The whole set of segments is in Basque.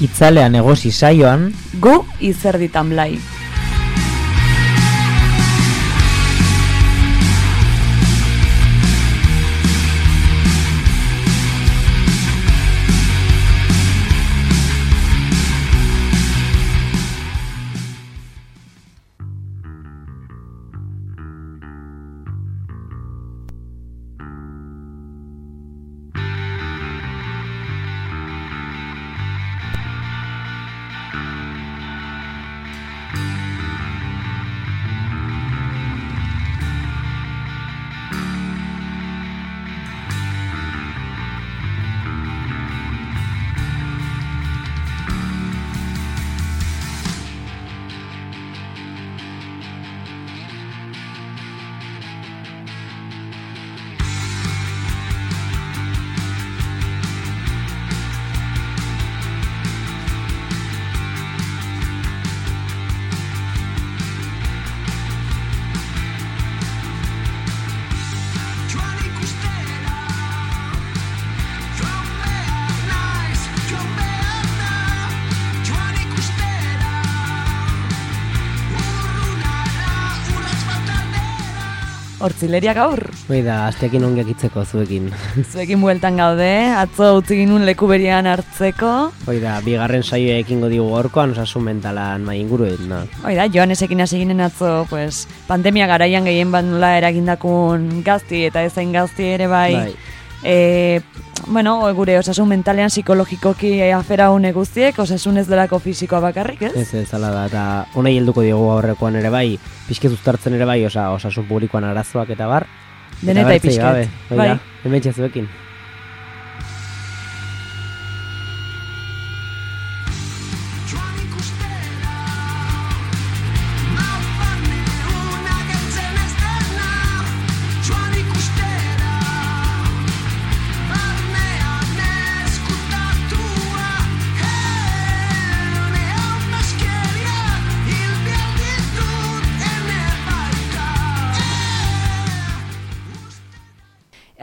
Itzalea negozi saioan gu izerditan blai. Hortzileria gaur. Da, asteakin ongiak itzeko zuekin. Zuekin bueltan gaude, atzo utzi ginuen leku berian hartzeko. Da, bigarren saioa ekingo digu gaurkoan osasun mentalan mai inguruen, no? Da, Joanesekin hasi ginen atzo, pues, pandemia garaian gehien bat nola eragindakun gazti eta ezain gazti ere bai. Gure osasun mentalean psikologikoki afera une guztiek, osasun ez delako fisikoa bakarrik, ez? Ez, ala da, eta honei helduko diogu aurrekoan ere bai, pixket uztartzen ere bai, osasun publikoan arazoak eta bar. Denetai pixket. Bai, hemen txazuekin.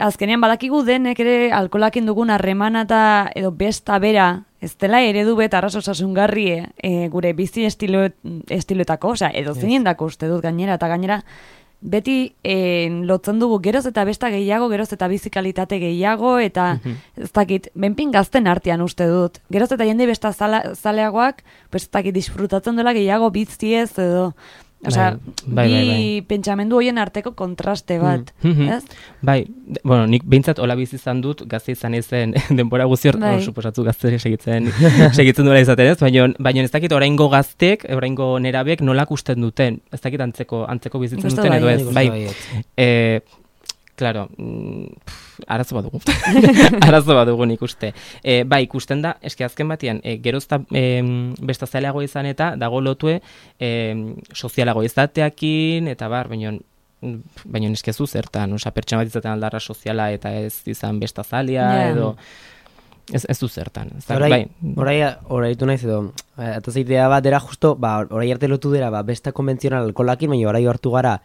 Azkenean badakigu denek ere alkoholakin dugun harremana eta edo besta bera ez dela eredu bet arras osasungarri gure bizi estiloetako, edo zeinendako uste dut gainera, eta gainera beti lotzen dugu geroz eta besta gehiago, geroz eta bizikalitate gehiago, eta ez dakit, benpin gazten artean uste dut. Geroz eta jende besta zaleagoak, ez dakit, disfrutatzen dela gehiago biziez edo... Bi pentsamendu horien arteko kontraste bat, ez? Bai, nik behintzat hola bizi izan dut, gazte izan ezen denbora guzti suposatzu gazte segitzen duela izaten, ez? Baina ez dakit oraingo gaztek, oraingo nerabek nolak usten duten, ez dakit antzeko bizitzen duten edo ez, bai. Claro, arazo bat dugu. Arazo bat dugu nik uste. Bai, ikusten da, eski azken batean, gerozta bestazaleago izan eta dago lotue sozialago izateakin, eta bar, baina eskezu zertan, pertsona bat izaten aldarra soziala eta ez izan bestazalea, edo... Ez du zertan. Horai du naiz edo, eta zeitea bat dira justo, horai arte lotu dira, besta konbentzional alkoholakin, baina horai hartu gara,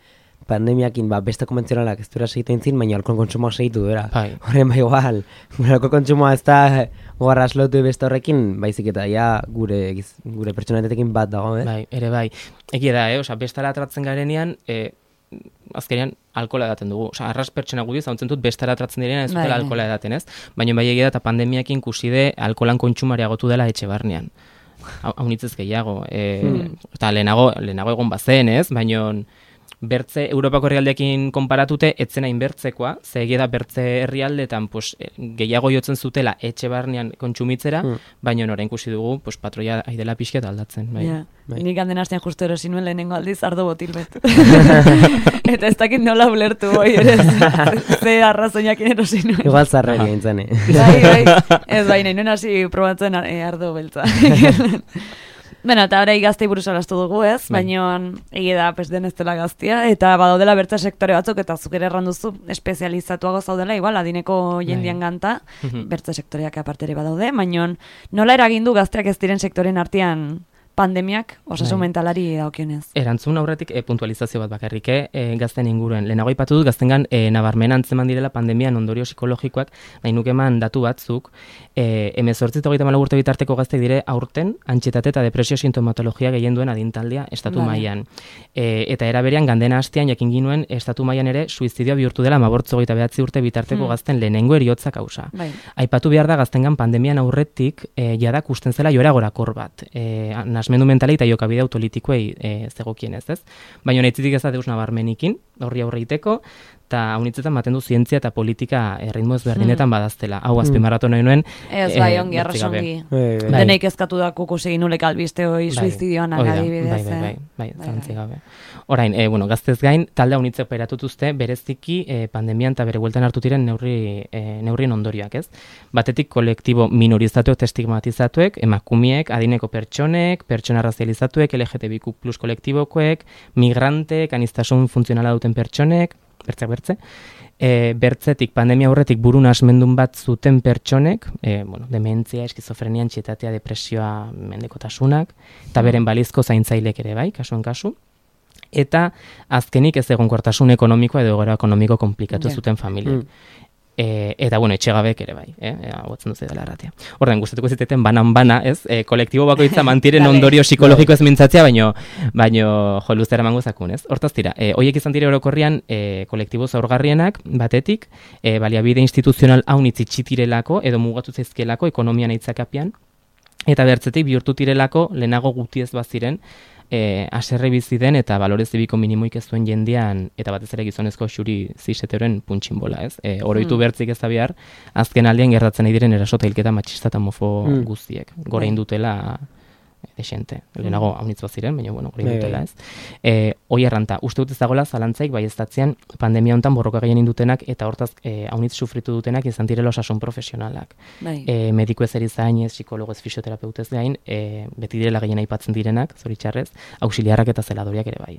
pandemiakin besta konbentzionalak ez duera segiten zin, baina alkohol kontsumoak segitu duera. Horren igual, alkohol kontsumoa ez da gogarra aslotu besta horrekin, baizik eta gure pertsonatetekin bat dago, Bai, ere bai. Eki da, bestara atratzen garenean, azkenean alkohola edaten dugu. Arras pertsona gudiz, hauntzen dut bestara atratzen direnean ez dutela alkohola edaten, ez? Baina bai egia da, eta pandemiakin kuside alkoholan kontsumaria agotu dela etxe barnean. Haunitzez gehiago. Eta lehenago egon bazen, ez? Baina... Bertze, Europako herrialdeekin konparatute, etzen hain bertzekoa, ze egia da bertze herrialdetan gehiago jotzen zutela etxe barnean kontsumitzera, baina orain ikusi dugu patroia aidela pixket aldatzen. Nik handen hastean justu erosi nuen lehenengo aldiz ardo botil bet. Eta ez dakit nola ulertu boi ere, ze arrazoinakin erosi nuen. Igual zarreri gintzen, Bai, ez baina, nuen hasi probatzen ardo beltza. Eta orai gaztei buruz alastu dugu, ez? Baina egia da, den ez dela gaztia, eta badaudela bertze sektore batzuk, eta zuk ere erranduzu espezializatuago zaudela, igual, adineko jendian ganta, bertze sektoreak apartere badaude, baina nola eragindu gazteak ez diren sektoren artean pandemiak osasun mentalari dagokionez? Erantzun aurretik puntualizazio bat bakarrik, gazten inguruen. Lehenago aipatu dut gaztengan nabarmen antzeman direla pandemian ondorio psikologikoak, nahi nuke eman datu batzuk, 18-34 urte bitarteko gaztek dire aurten antsietate eta depresio sintomatologia gehien duen adintaldia estatu mailan. Eta era berean gandena hastean jakin ginuen estatu mailan ere suizidioa bihurtu dela 29 urte bitarteko gazten lehenengo heriotza kausa. Aipatu behar da gaztengan pandemian aurretik jada kusten zela joera gorakor bat. Nasmendu mentalei eta jokabide autolitikoei zegokienez, ez? Baina naitzitik ez da deus nabarmenikin, horri aurreiteko, eta haunitzetan baten du zientzia eta politika ritmo ezberdinetan badaztela. Hau azpimarratu nahi nuen. Ez bai, ongi, arrasongi. Deneik ezkatu da kukusegin nulek albiste hoi suizidioan agadibidez. Bai, zantzi gabe. Orain, gaztez gain, talde haunitze operatutuzte bereziki pandemian eta bere bueltan hartu diren neurrien ondorioak, ez? Batetik kolektibo minorizatuek, estigmatizatuek, emakumiek, adineko pertsonek, pertsona razializatuek, LGTBIQ+ kolektibokoek, migrantek, aniztasun funtzionala duten pertsonek, bertze. Bertzetik, pandemia aurretik buru nasmendun bat zuten pertsonek, dementzia, eskizofrenia, antsietatea, depresioa, mendekotasunak, eta beren balizko zaintzailek ere bai, kasuan kasu. Eta azkenik ez egonkortasun ekonomikoa edo egoera ekonomiko komplikatu zuten familiek. Eta, etxegabek ere bai, hauatzen duzu dela erratia. Ordan gustatuko ziteten banan-bana, ez? Kolektibo bakoitza mantiren ondorio psikologiko ez mintzatzea, baino luzera emango zakun, ez? Hortaz dira, hoiek izan dire orokorrian kolektibo zaurgarrienak, batetik, baliabide instituzional haunitz itxitirelako, edo mugatu zaizkielako ekonomian aitzakapian, eta bertzetik bihurtu tirelako lehenago gutiez baziren, aserre bizi den eta balore zibiko minimoik ez duen jendean, eta batez ere gizonezko xuri ziseteoren puntxinbola, ez? Oroitu bertzik ez da behar, azken aldean gertatzen nahi diren erasota hilketa matxista eta mofo guztiek. Gorein dutela desente. Lehenago haunitz baziren, baina, gorein dutela, ez? Hoi erranta, uste dut ez dagoela zalantzaik bai ez datzean pandemia honetan borroka gehien indutenak eta hortaz haunitz sufritu dutenak izan direla osasun profesionalak. Mediku ez erizainez, psikologo ez fisioterapeutez gain, beti direla gehien aipatzen direnak, zoritxarrez, auxiliarrak eta zeladoriak ere bai.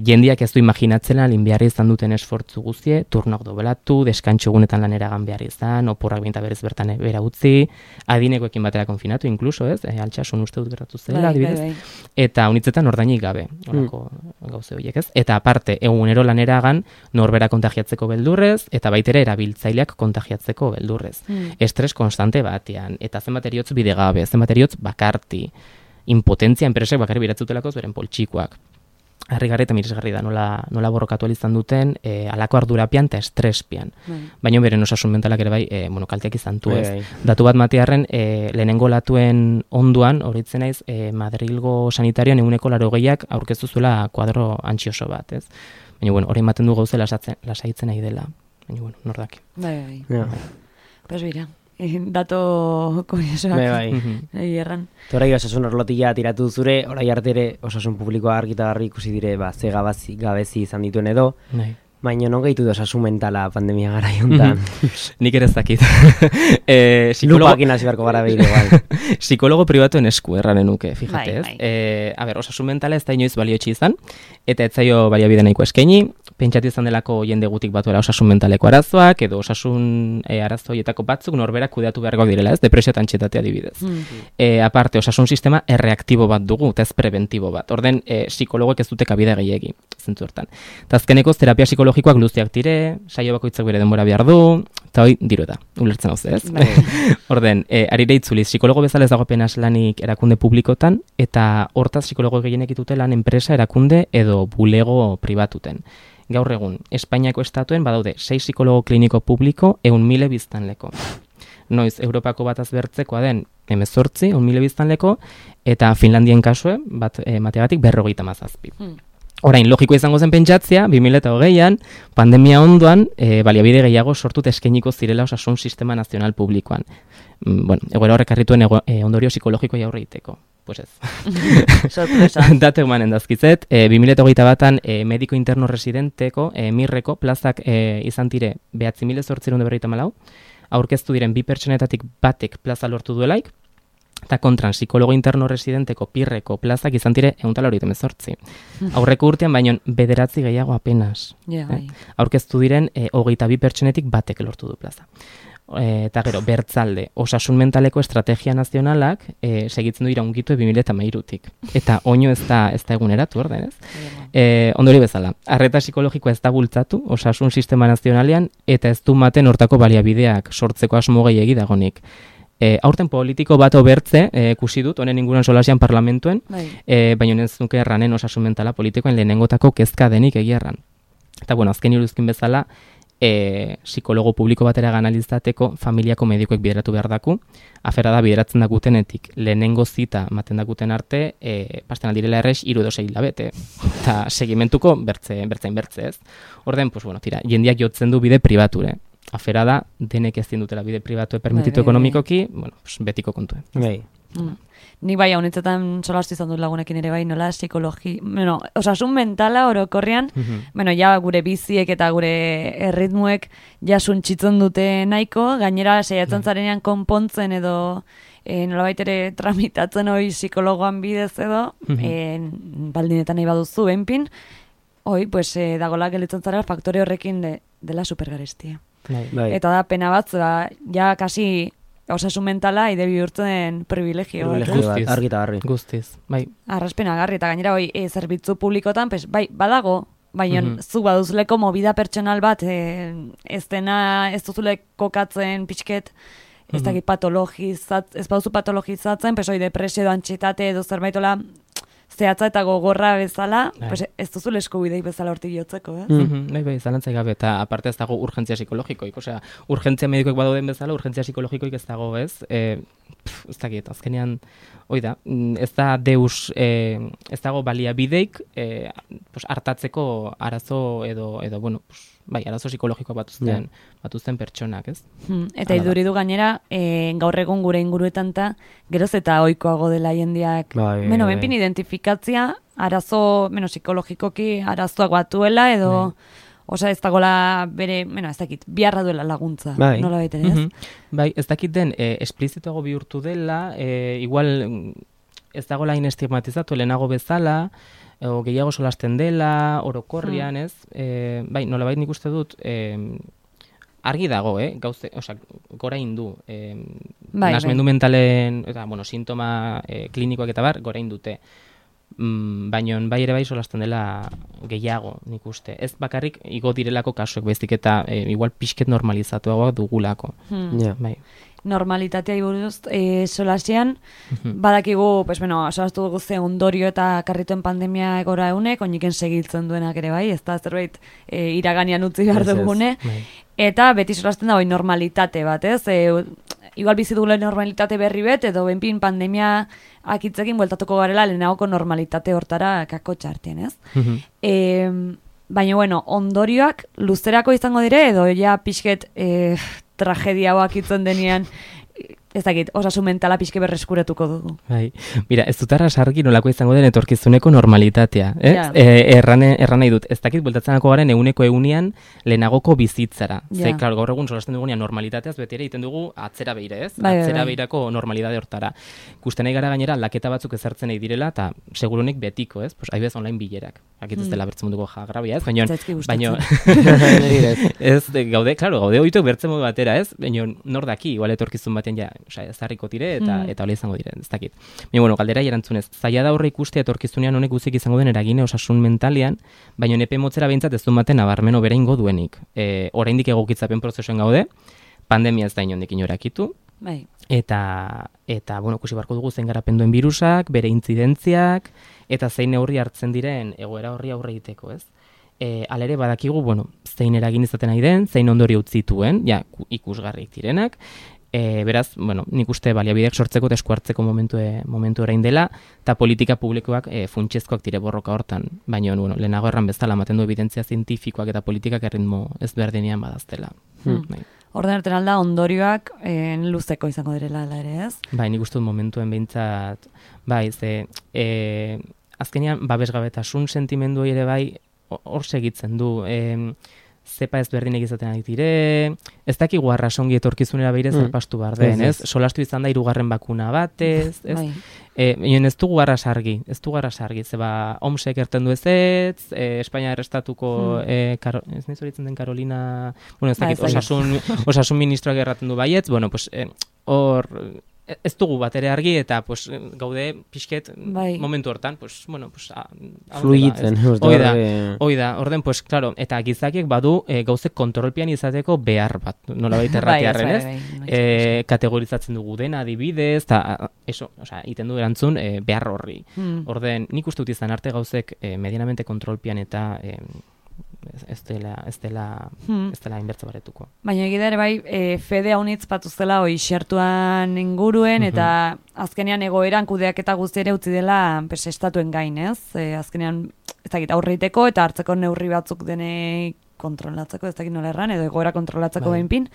Jendiak ez du imaginatzela linbiarri izan duten esfortzu guztie, turnoak dobelatu, deskantxogunetan lanera gan behar izan, oporrak binta berez bertan bera utzi, adinekoekin batera konfinatu, inkluso, ez? Altsasun uste dut gertatu zela, adibidez. Eta haunitzetan ordainik gabe, horako gauze horiek, ez? Eta aparte, egunero laneragan norbera kontagiatzeko beldurrez, eta baitere erabiltzaileak kontagiatzeko beldurrez. Estres konstante batean, eta zenbat eriotz bidegabe, zenbat eriotz bakarti, impotentzia enpresek bakarri biratzutelako beren poltsikoak. Harrigarri eta miresgarri da, nola borrokatu izan duten, alako ardurapian eta estrespian. Baina beren osasun mentalak ere bai, kalteak izan du ez. Datu bat matearren, lehenengo latuen onduan, horitzen naiz, Madrilgo sanitarioan 80% aurkeztu zuela kuadro antxioso bat, ez? Baina, hori ematen du gauze lasaitzen nahi dela. Baina, nordak. Bai. Pues bira. Dato kuriosoak erran. Horai osasun orlotila tiratu zure, orai arte ere osasun publikoa argita garri ikusi dire, ze gabezi izan dituen edo, baina non gehitu da osasun mentala pandemia gara jontan. Nik ere ez dakit. Lupakin hasi beharko gara behire, bai. Psikologo pribatuen esku erranen nuke, fijate ez. Osasun mentala ez da inoiz baliotxi izan, eta ez zaio baliabide nahiko eskaini, pentsatu izan delako jende gutik batuela osasun mentaleko arazoak, edo osasun arazoietako batzuk norberak kudeatu beharkoak direla, ez? Depresio eta antsietatea adibidez. Aparte, osasun sistema erreaktibo bat dugu, eta ez preventibo bat. Orden, psikologoek ez dute kabida gehiegi, zentzu hortan. Eta azkenekoz, terapia psikologikoak luziak dire, saio bakoitzak bere denbora behar du, eta hoi, diro da, ulertzen hau ez? Orden, arire itzuliz, psikologo bezala ez dago apenas lanik erakunde publikotan, eta hortaz psikologo gehienek ditute lan enpresa erakunde edo bulego pribatuten. Gaur egun, Espainiako estatuen badaude 6 psikologo kliniko publiko 100.000 biztanleko. Noiz, Europako bataz bertzekoa den 18, 100.000 biztanleko, eta Finlandien kasue, bat mateagatik 57. Orain, logiko izango zen pentsatzea, 2020an, pandemia ondoan, baliabide gehiago sortut eskainiko zirela osasun sistema nazional publikoan. Egoera horrek harrituen ondorio psikologikoa jaurre iteko. Pues ez. Sorpresa. Datu emanen dazkizet, 2008 batan mediko interno residenteko, mirreko, plazak izan dire 9.854, aurkeztu diren 2 pertsonetatik batek plaza lortu duelaik, eta kontran psikologo interno residenteko pirreko plazak izan dire 188. Aurreko urtean baino 9 gehiago apenas. Aurkeztu diren 22 pertsonetik batek lortu du plaza. eta gero, bertzalde, osasun mentaleko estrategia nazionalak segitzen du iraungitu 2013-tik. Eta oino ez da eguneratu, orden, ez? Ondori bezala, arreta psikologikoa ez da bultzatu, osasun sistema nazionalean, eta ez du maten hortako baliabideak sortzeko asmo gehiegi dagonik. Aurten politiko bat obertze, ikusi dut, honen inguruan solasian parlamentuen, baina ez nuke erranen osasun mentala politikoen lehenengotako kezka denik egia erran. Eta, bueno, azken iruzkin bezala, psikologo publiko batera analizateko familiako medikoek bideratu behar daku, afera da bideratzen dakutenetik lehenengo zita maten dakuten arte, pasten aldirela errex 3 edo 6 hilabete, eta segimentuko bertzein ez. Orden, pues bueno, tira, jendiak jotzen du bide pribature. Afera da, denek ez dutela bide pribatue permititu ekonomikoki, bueno, pues betiko kontue. Nik bai, honetzetan solastu izan dut lagunekin ere bai, nola osasun mentala orokorrean, ja gure biziek eta gure erritmuek jasuntzitzen dute nahiko, gainera saiatzen zarenean konpontzen edo nolabait ere tramitatzen hori psikologoan bidez edo, baldinetan nahi baduzu, benpin, pues dagoela gelitzen zara faktore horrekin dela supergarestia. Eta da pena bat, ja kasi osasun mentala ide bihurtzen privilegio. Argi eta garri. Guztiz, bai. Arraspena garri, eta gainera zerbitzu publikotan, bai, badago, baina zu baduzuleko movida pertsonal bat, ez duzule kokatzen pixket, ez dakit ez baduzu patologizatzen, depresio edo antxietate edo zerbaitola zehatza eta gogorra bezala, pues ez duzu eskubidei bezala hortik jotzeko, Bai, zalantzai gabe, eta aparte ez dago urgentzia psikologikoik, osea, urgentzia medikoik badauden bezala, urgentzia psikologikoik ez dago, ez? Ez dakit, azkenean, da, ez da deus, ez dago baliabideik hartatzeko arazo edo bueno, bai, arazo psikologikoa batuzten pertsonak, ez? Eta iduridu gainera, gaur egun gure inguruetan geroz eta ohikoago dela jendeak, benpin identifikatzia, arazo, psikologikoki arazoak batuela, edo, ez dagoela bere, ez dakit, biharra duela laguntza, nola baiten, ez? Bai, ez dakit den, esplizituago bihurtu dela, igual ez dagoela inestigmatizatu lehenago bezala, o gehiago solasten dela, orokorrian, ez? Bai, nolabait nik uste dut, argi dago, gauze, gora indu, nasmendu mentalen, eta, sintoma klinikoak eta bar, gora indute. Baina bai ere bai solasten dela gehiago, nik uste. Ez bakarrik igo direlako kasuek baizik eta igual pixket normalizatuagoak dugulako. Bai. Normalitatea iburuz solasean, badakigu, solastu dugu ze ondorio eta karrituen pandemia egora eunek, oiniken segitzen duenak ere bai, ez da zerbait iraganean utzi behar dugune, eta beti solasten da normalitate bat, ez? Igual bizi dugula normalitate berri bet, edo benpin pandemia akitzekin bueltatuko garela lehenagoko normalitate hortara kako txartien, ez? Baina, ondorioak luzerako izango dire, edo ja pixket tragedia hau akitzen denean, ez dakit, osasun mentala pixke berreskuratuko dugu. Bai, mira, ez dut arrasargi nolako izango den etorkizuneko normalitatea, ez? Erran nahi dut, ez dakit bueltatzenako garen eguneko egunean lehenagoko bizitzara. Ze, klaro, gaur egun solasten dugunean normalitateaz beti ere egiten dugu atzera beire, ez? Atzera beirako normalidade hortara. Ikusten nahi gara gainera laketa batzuk ezartzen nahi direla, eta segurunik betiko, ez? Haibez online bilerak. Akit ez dela bertzen munduko jagrabia, ez? Baina, ez, gaude oituk bertzen modu batera, ez? Baina, nor daki, igual etorkizun baten ja, ezarriko tire eta hola izango diren, ez dakit. Baina, galdera erantzunez, zaila da horre ikustea etorkizunean honek guzik izango den eragine osasun mentalian, baina nepe motzera behintzat ez du maten nabarmeno bera ingo duenik. Oraindik egokitzapen prozesuen gaude, pandemia ez da inondik inorakitu, eta ikusi barko dugu zein garapen duen virusak, bere intzidentziak, eta zein neurri hartzen diren egoera horri aurre egiteko, ez? Alere badakigu, zein eragin izaten nahi den, zein ondorio utzituen, ikusgarrik direnak, beraz, nik uste baliabideak sortzeko eta eskuartzeko momentu orain dela, eta politika publikoak funtsezkoak dire borroka hortan, baina lehenago erran bezala ematen du evidentzia zientifikoak eta politikak erritmo ez berdinean badaztela. Orden artean alda ondorioak luzeko izango direla ere, ez? Bai, nik uste dut momentuen behintzat, bai, azkenean babesgabetasun sentimendu ere bai hor segitzen du, zepa ezberdinek izaten ari dire, ez dakigu arrasongi etorkizunera behire zarpastu behar den, ez? Solastu izan da 3. bakuna batez, ez? Ez dugu arrasargi, zeba OMSek erten du ez, Espainia errestatuko, ez nahi zoritzen den Carolina, bueno, ez dakit, osasun ministroak erraten du baietz, bueno, pues, hor, ez dugu bat ere argi, eta pues, gaude pixket momentu hortan, pues, bueno, pues, fluitzen. Oida, orden, pues, claro, eta gizakiek badu gauzek kontrolpian izateko behar bat, nola baita erratiarren, ez? Kategorizatzen dugu dena, adibidez, eta, iten du erantzun behar horri. Orden, nik uste dut izan arte gauzek medianamente kontrolpian eta ez dela inbertze baretuko. Baina egida ere bai, fede haunitz patuzela xertuan inguruen, eta azkenean egoeran kudeaketa guzti ere utzi dela estatuen gain, ez? Azkenean, ez dakit, aurreiteko eta hartzeko neurri batzuk dene kontrolatzeko, ez dakit nola erran, edo egoera kontrolatzeko behinpin.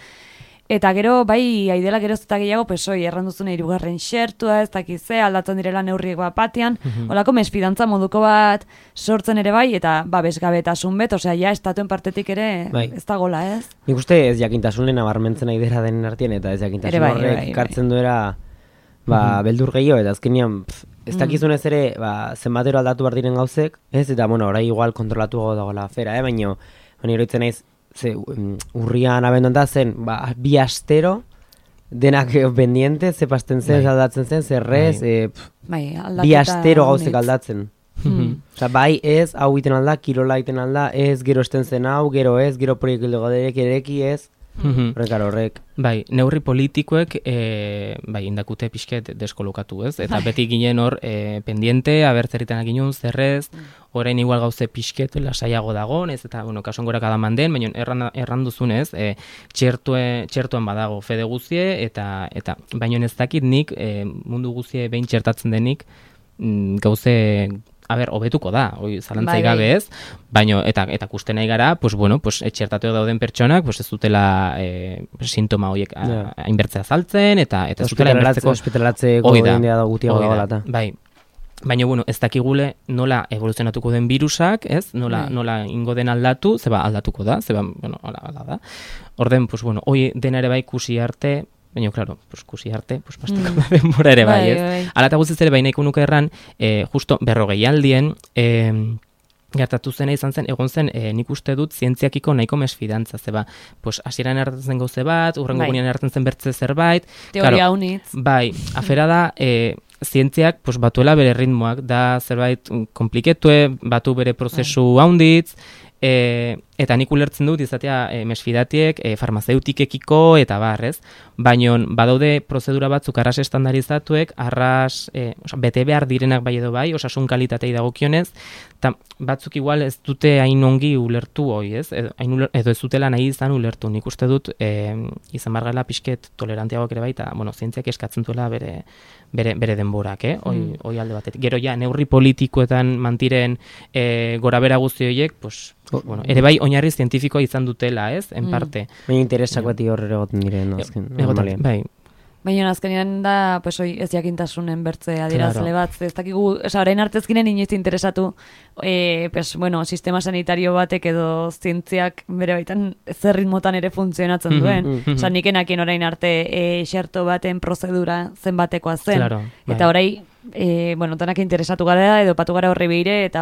Eta gero, bai, aidela geroz eta gehiago, erranduzune 3. xertua, ez dakize, aldatzen direla neurriek batean, holako mesfidantza moduko bat sortzen ere bai, eta bezgabetasun bet, ja, estatuen partetik ere ez da gola, ez? Nik uste ez jakintasun lehen abarmentzen aidera den artien, eta ez jakintasun horrek kartzen duera beldur gehiago, eta azkenean ez dakizunez ere zenbatero aldatu behar diren gauzek, ez? Eta, bueno, orai igual kontrolatu dagoela afera, baina oroitzen naiz, urrian abenduan da zen, 2 astero, denak pendiente, ze pasten zen, aldatzen zen, zerrez, 2 astero gauzek aldatzen. Bai ez, hau iten alda, kirola iten alda, ez gero esten zen hau, gero ez, gero proiektu goderek ereki ez, horrek. Bai, neurri politikoek indakute pixket deskolokatu, ez? Eta beti ginen hor pendiente, abertzerritan aginun, zerrez, orain igual gauze pixket lasaiago dagon, ez? Eta, bueno, kasongorak adaman den, baina erranduzunez, txertuan badago fede guzie, eta baina ez dakit nik mundu guzie behin txertatzen denik gauze hobetuko da, zalantzai gabe ez, baina, eta kusten nahi gara, pues bueno, pues txertateo dauden pertsonak, pues ez dutela sintoma horiek hainbertzea saltzen, eta ez dutela hainbertzeko hospitalatzeko jendea da gutiago dagoela. Bai, baina, bueno, ez dakigule nola evoluzionatuko den virusak, ez? Nola ingo den aldatu, zeba aldatuko da, bueno, ala da. Orden, pues bueno, hoi dena ere bai kusi arte, baina, klaro, kusi arte, pasteko da denbora ere bai, ez? Ala eta guztiz ere bai nahiko nuke erran, justo 40 aldien, gertatu zena izan zen, egon zen, nik uste dut zientziakiko nahiko mesfidantza, zeba, hasieran erratzen gauze bat, urrengo gunean erratzen zen bertze zerbait. Teoria unitz. Bai, afera da, zientziak batuela bere ritmoak, da zerbait kompliketue, batu bere prozesu haunditz, eta nik ulertzen dut izatea mesfidatiek, farmazeutikekiko eta barrez, baina badaude prozedura batzuk arras estandarizatuek, arras bete behar direnak bai edo bai, osasun kalitatei dagokionez, eta batzuk igual ez dute hain ongi ulertu hoi, ez? Edo ez dutela nahi izan ulertu, nik uste dut izan bargala pixket tolerantiagoak ere bai, eta zientziak eskatzen duela bere denborak, hoi alde batetik. Gero ja, neurri politikoetan mantiren gora bera guzti horiek, bueno, ere bai oinarri zientifikoa izan dutela, ez? En parte. Baina interesak bati horre egoten diren, normalean. Bai. Baina azkenean da, ez jakintasunen bertze adierazle bat, ez dakigu, orain artezkinen inoiz interesatu, sistema sanitario batek edo zientziak bere baitan zer ritmotan ere funtzionatzen duen. Nik enakien orain arte xerto baten prozedura zenbatekoa zen. Eta orain, tanak interesatu gara edo patu gara horri behire, eta,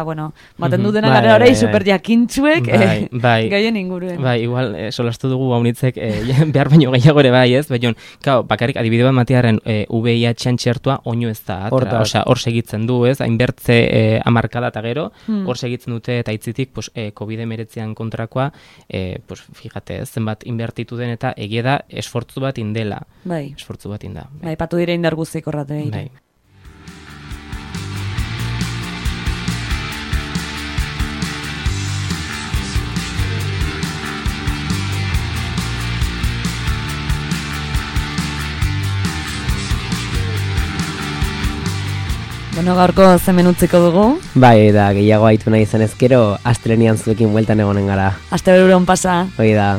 baten dutena gara horrei super jakintzuek gaien inguruen. Bai, igual, solastu dugu haunitzek behar baino gehiago ere bai, ez? Baina, bakarrik adibide bat matiaren VIH-an txertua oino ez da, hor segitzen du, ez? Hainbertze amarkada eta gero, hor segitzen dute eta itzitik COVID-19 kontrakoa, fíjate, zenbat inbertitu den eta egia da esfortzu bat indela. Bai. Esfortzu bat inda. Bai, patu dire indar guztik horrate behire. Bai. Gaurko zemen utziko dugu. Bai, da, gehiago haitu nahi izan ezkero, astelenian zuekin bueltan egonen gara. Aste beruron pasa. Hoi da.